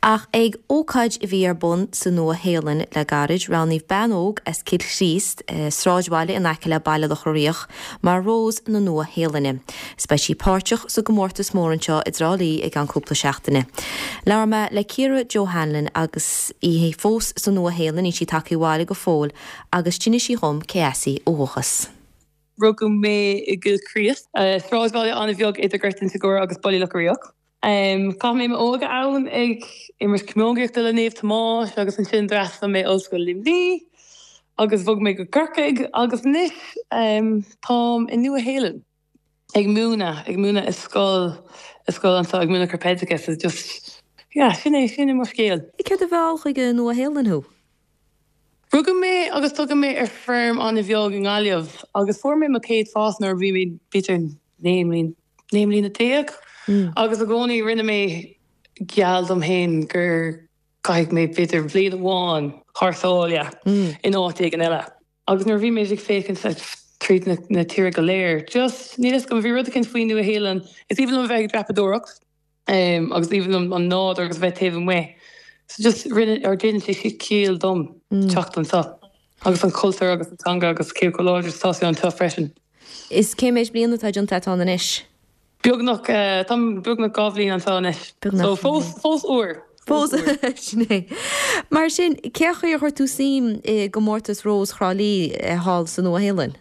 Ach ag ócáid a bhí ar bun sa Nua-Shéalainn le gairid, roghnaíodh bean óg as Cill Chríost, sráidbhaile in aice le Baile Locha Riach, mar Rós na Nua-Shéalainne. Is beidh sí páirteach sa gcomórtas mór anseo i dTrá Lí i gceann cúpla seachtaine. Labhair mé le Ciara Joe Hanlon agus í fós sa Nua-Shéalainn, níl sí tagtha abhaile go fóill, agus d'inis sí dhom cé as í ó dhúchas. Rugadh mé i gCill Chríost, sráidbhaile an-bheag idir Gort Inse Guaire agus Baile Locha Riach. Chaith mé m'óige ann ag imirt camógaíochta le Naomh Tomás agus ansin d'fhreastail mé Ollscoil Luimnigh agus bhog mé go Corcaigh agus anois táim i Nua-Shéalainn ag múineadh, ag múineadh i scoil, i scoil anseo, ag múineadh corpoideachas so just yeah sin é, sin é mo scéal. Céard a mheall chuig an Nua-Shéalainn thú? Rugadh mé agus tógadh mé ar feirm an-bheag i nGaillimh agus fuair mé mo chéad phost nuair a bhí mé b'fhéidir 19 mbliana 19 mbliana agus i gcónaí rinne mé geall dom féin gur caithfidh mé b'fhéidir bhliain amháin thar sáile in áit éigin eile. Agus nuair a bhí mé ag féachaint tríd na tíre go léir just níl fhios agam bhí rud eicínt faoi Nua Shéalainn is aoibhinn liom a bheith ag dreapadóireacht. agus aoibhinn liom an nádúr agus a bheith taobh amuigh. So just rinne, or déanann sé ciall dom teacht anseo. Agus an cultúr agus an teanga agus cé chomh láidir is atá sé anseo freisin. Is cé méid bliana atá déanta agat ann anois? Beagnach, táim beagnach 2 bhliain anseo anois. Beagnach. So fós, fós úr. Fós, sin é. Mar sin, cén chaoi ar chuir tú suim i gcomórtas Rós Thrá Lí thall sa Nua-Shéalainn?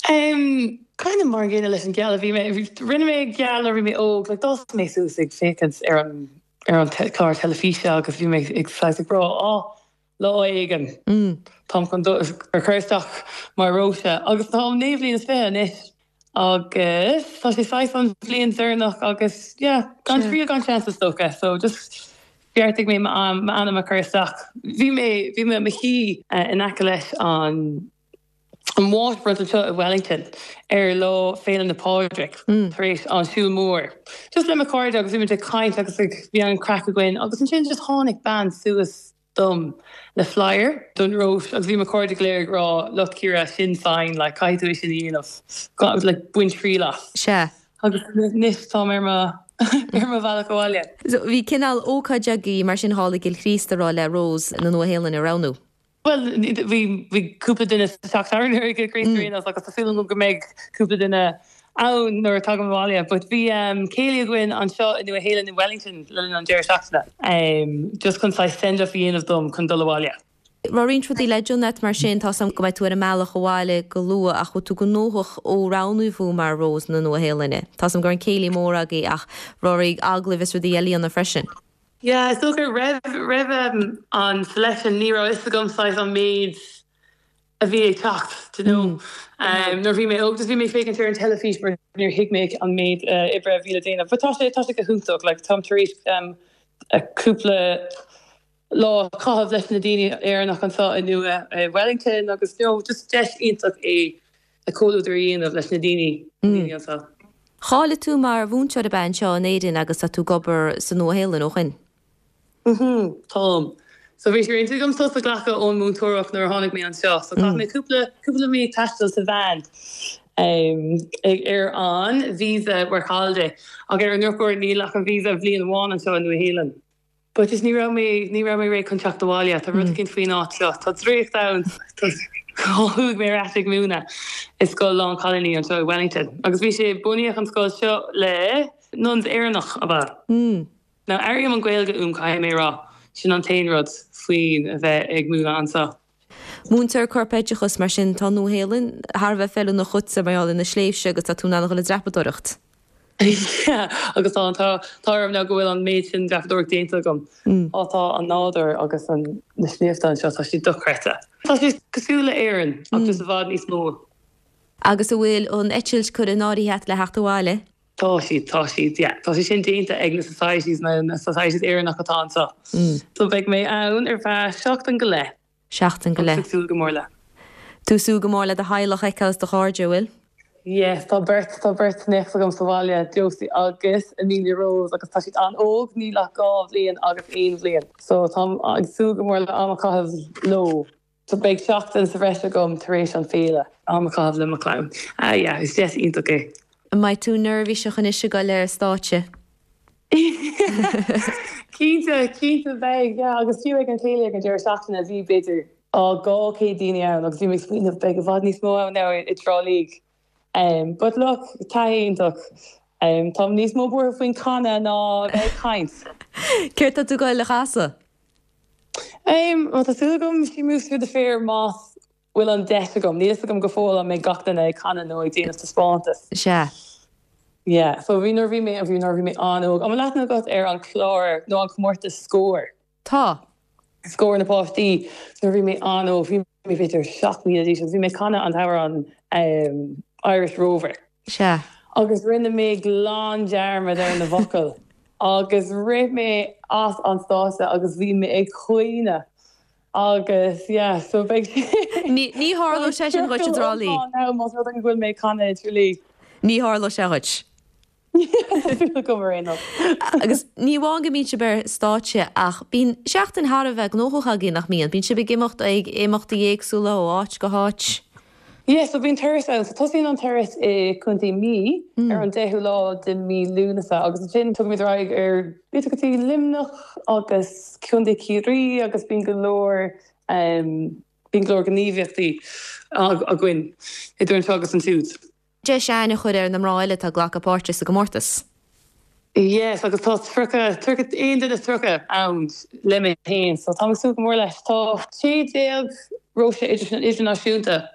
Em, kind of mar an gcéanna leis an geall a bhí mé, rinne mé geall nuair a bhí mé óg, like d'fhás mé suas ag féachaint ar an, ar an clár teilifíse agus bhí mé ag saghas ag rá, á, lá éigin, táim chun dul, a chur isteach mar Róise agus táim 19 bhliain is anois agus tá sé saghas an bhliain deireanach agus yeah, gan triail gan seans is dócha, so just bheartaigh mé m'ainm a chur isteach. Bhí mé, bhí mé i mo shuí in aice leis an. an waterfront anseo i Wellington ar lá Féile na Pádraig tar éis an siúl mór. Just le mo chairde agus bhí muid ag caint agus ag bhí an craic againn agus ansin just tháinig bean suas dom le flyer don Róis agus bhí mo chairde go léir ag rá look Ciara sin sign like caithfidh tú é sin a dhéanamh like bain triail as. Sea. Agus anois táim ar mo ar mo bhealach abhaile. So bhí cineál ócáid agaibh mar sin thall i gCill Chríost a raibh le Rós na Nua-Shéalainne a roghnú. Bhuel, bhí, bhí cúpla duine sa teach tábhairne i gCill Chríost ar aon nós agus tá súil agam go mbeidh cúpla duine ann nuair a tagaim abhaile. But bhí céilí againn anseo i Nua Shéalainn i Wellington le linn an deireadh seachtaine just chun saghas send off a dhéanamh dom chun dul abhaile. Raibh roinnt rudaí le déanamh agat mar sin, tá's agam go mbeidh tú ar an mbealach abhaile go luath ach bhfuil tú gnóthach ó roghnaíodh thú mar Rós na Nua Shéalainne? Tá's agam go raibh an céilí mór agaibh ach raibh oraibh agallaimh is rudaí eile a dhéanamh freisin. Yeah, is dócha roimh, roimh an selection ní raibh fhios agam saghas an méid a bhí ag teacht, do you know. Nuair a bhí mé óg just bhí mé ag féachaint ar an teilifís mar níor thuig mé an méid oibre a bhí le déanamh. But tá sé, tá sé go hiontach, like táim tar éis cúpla lá a chaitheamh leis na daoine Éireannach anseo i Nua, i Wellington agus you know just deis iontach é a comhluadar a dhéanamh leis na daoine, daoine anseo. Cháiligh tú mar mhúinteoir ab ea anseo in Éirinn agus tá tú ag obair sa Nua-Shéalainn ó shin? Mhm, táim. So bhí sé ar intinn agam sos a ghlacadh ón múinteoireacht nuair a tháinig mé anseo. So chaith mé cúpla, cúpla mí ag taisteal sa veain ag, ar an visa work holiday. Ach ar an ndrochuair níl ach an visa bhliain amháin anseo i Nua-Shéalainn. But just ní raibh mé, ní raibh mé réidh chun teacht abhaile. Tá rud eicínt faoin áit seo. Tá draíocht ann. Chuaigh mé ar ais ag múineadh i scoil lán cailíní anseo i Wellington. Agus bhí sé, bunaíodh an scoil seo le nuns Éireannach, ab ea? Now airím an Ghaeilge uaim, caithfidh mé a rá. Sin an t-aon rud faoin a bheith ag múineadh anseo. Múinteoir corpoideachas, mar sin tá an Nua-Shéalainn thar a bheith feiliúnach dhuitse mar gheall ar na sléibhte agus tá tú in ann a dhul ag dreapadóireacht. Yeah, agus tá an t-ádh orm now go bhfuil an méid sin dreapadóireacht déanta agam. Á tá an nádúr agus an na sléibhte anseo, tá siad dochreidte. Tá sé cosúil le Éirinn ach just i bhfad níos mó. Agus an bhfuil an eitilt curtha in áirithe agat le theacht abhaile? Tá siad, tá siad, yeah. Tá sé sin déanta ag na societies, na societies Éireannach atá anseo. So beidh mé ann ar feadh seachtain go leith. Seachtain go leith. Agus ag súil go mór le. Tú ag súil go mór le do theaghlach a fheiceáil is do chairde, an bhfuil? Yes, tá beirt, tá beirt néacs agam sa bhaile, Josie agus Amelia Rose agus tá siad an-óg, níl ach 2 bhliain agus 1 bhliain. So táim ag súil go mór le am a chaitheamh leo. So beidh seachtain sa bhreis agam tar éis an féile. Am a chaitheamh le mo chlann. Ah yeah, is deis iontach é. An mbeidh tú neirbhíseach anois ag dul ar an stáitse? Cinnte, cinnte beidh, yeah, agus fiú ag an chéilí ag an deireadh seachtaine bhí b'fhéidir 200 daoine ann agus bhí mé ag smaoineamh beidh i bhfad níos mó ann now i dTrá Lí. But look, taithí iontach. Táim níos mó buartha faoin canadh ná a bheith ag caint. Céard tá tú ag goil a chasadh? Bhuel tá súil agam She Moves Through the Fair más bhfuil an deis agam. Níl fhios agam go fóill an mbeidh gach duine ag canadh nó ag déanamh taispeántas. Sea. Yeah, so bhí nuair a bhí mé, bhí nuair a bhí mé an-óg. An bhfuil aithne agat ar an chlár nó an comórtas Scór? Tá. Scór na bPáistí. Nuair a bhí mé an-óg, bhí mé b'fhéidir 7 mbliana d'aois agus bhí mé ag canadh an t-amhrán Irish Rover. Sea. Agus rinne mé glan dearmad ar na bhfocail agus rith mé as an stáitse agus bhí mé ag caoineadh. Agus yeah, so beidh sé. Ní, ní tharlóidh sé sin dhuit i dTrá Lí. Now más rud é go bhfuil mé ag canadh i dTrá Lí. Ní tharlóidh sé dhuit. Tá súil agam ar aon nós. Agus ní amháin go mbíonn sibh ar stáitse ach bíonn seachtain thar a bheith gnóthach agaibh, nach mbíonn? Bíonn sibh ag imeacht ag imeachtaí éagsúla ó áit go háit. Yeah, so bíonn turas ann. So tosaíonn an turas i Contae Mí ar an 10ú lá de mí Lúnasa agus ansin tugaimid ar aghaidh ar b'fhéidir go dtí Luimneach agus Contae Ciarraí agus bíonn go leor bíonn go leor gníomhaíochtaí againn idir anseo agus ansiúd. Deis aithne a chur ar na mná eile atá ag glacadh páirte sa gcomórtas. Yes, agus tá 30, 31 duine 30 ann le mé féin, so táim ag súil go mór leis. Tá 16 Róise idirnáisiúnta,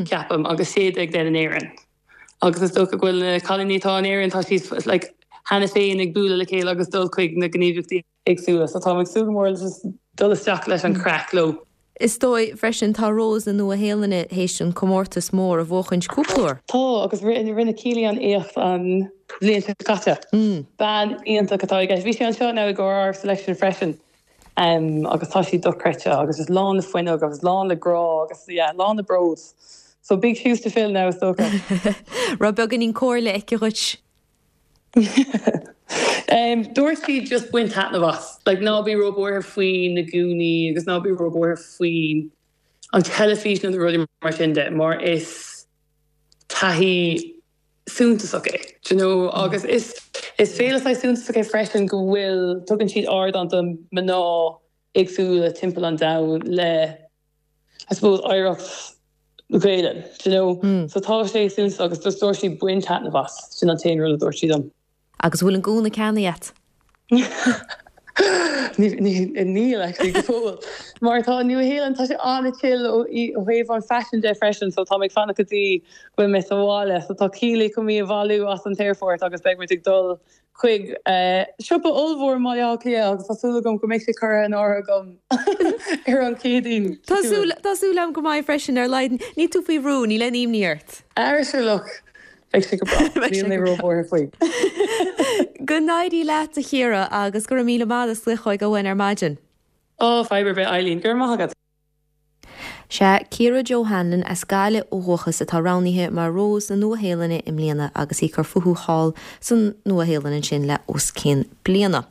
ceapaim, agus 16 den in Éirinn. Agus is dócha go bhfuil na cailíní atá in Éirinn, tá siad like cheana féin ag bualadh le chéile agus dul chuig na gníomhaíochtaí. éagsúla. So táim ag súil go mór le just dul isteach leis an craic leo. Is dóigh freisin, tá Rose na Nua-Shéalainne théis an comórtas mór a bhuachaint cúpla uair. Tá, agus rinne Keely an éacht an bhliain seo caite. Bean iontach atá i gceist. Bhí sí anseo now i gcomhair ár selection freisin agus tá sí dochreidte agus just lán le fuinneamh agus lán le grá agus yeah, lán le bród. So big shoes to fill now is dócha. Raibh beagáinín comhairle aici dhuit? Dúirt sí just bain taitneamh as. Like ná bí róbhuartha faoi na gúnaí agus ná bí róbhuartha faoin an teilifís nó na rudaí mar sin de mar is taithí suntasach é, do you know agus is is féile saghas suntasach é freisin go bhfuil tugann siad ardán do mná éagsúla timpeall an domhain le I suppose oidhreacht na Gaelainne, do you know. So tá sé suntasach agus just dúirt sí bain taitneamh as, sin an t-aon rud a dúirt sí dom. Agus bhfuil an gúna ceannaithe agat? Níl actually go fóill. Mar tá an Nua-Shéalainn, tá sé an-chill ó thaobh an fashion de freisin so tá mé ag fanacht go dtí go bhfuil mé sa bhaile. So tá Keely chun mé a bhailiú as an t-aerfort agus beidh muid ag dul chuig siopa ollmhór i mBaile Átha Cliath agus tá súil agam go mbeidh sé curtha in áirithe agam ar an Chéadaoin. Tá súil, tá súil agam go mbeidh freisin ar a laghad. Níl tú faoi bhrú, níl aon imní ort. Ara sure look, beidh sé go breá. Níl mé róbhuartha faoi. Go n-éirí leat a Chiara agus go raibh míle maith as glaoch chugainn ar maidin. Ó, fadhb ar bith Eileen, go raibh maith agat. Sea, Ciara Jo Hanlon as Gaillimh ó dhúchas atá roghnaithe mar Rose na Nua-Shéalainne i mbliana agus í ag cur fúithi thall san Nua-Shéalainn ansin le os cionn bliana.